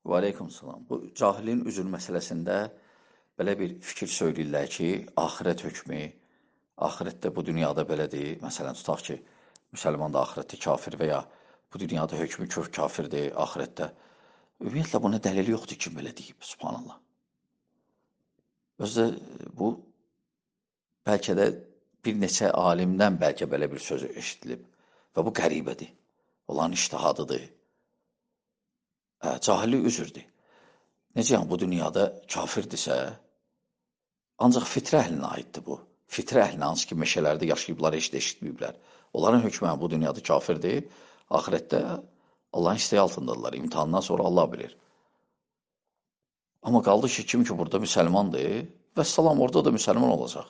Və aleykum salam. Bu cahilin üzr məsələsində belə bir fikir söyləyirlər ki, axirət hökmü, axirətdə bu dünyada belədir. Məsələn, tutaq ki, müsəlman da axirətdə kafir və ya bu dünyada hökmü kök kafirdir, axirətdə. Ümumiyyətlə, buna dəlil yoxdur ki, belə deyib, subhanallah. Özdə bu, bəlkə də bir neçə alimdən bəlkə belə bir söz eşidilib və bu qəribədir. Olan iştihadıdır. Cahillik üzrdür. Necə yəni bu dünyada kafirdirsə, ancaq fitrə əhlinə aiddir bu. Fitrə əhlinə, hansı ki, meşələrdə yaşayıblar, heç də eşitməyiblər. Onların hökmü bu dünyada kafirdir, axirətdə Allahın istəyi altındadırlar. İmtihandan sonra Allah bilir. Amma qaldı ki, kim ki burada müsəlmandır, vəssalam orada da müsəlman olacaq.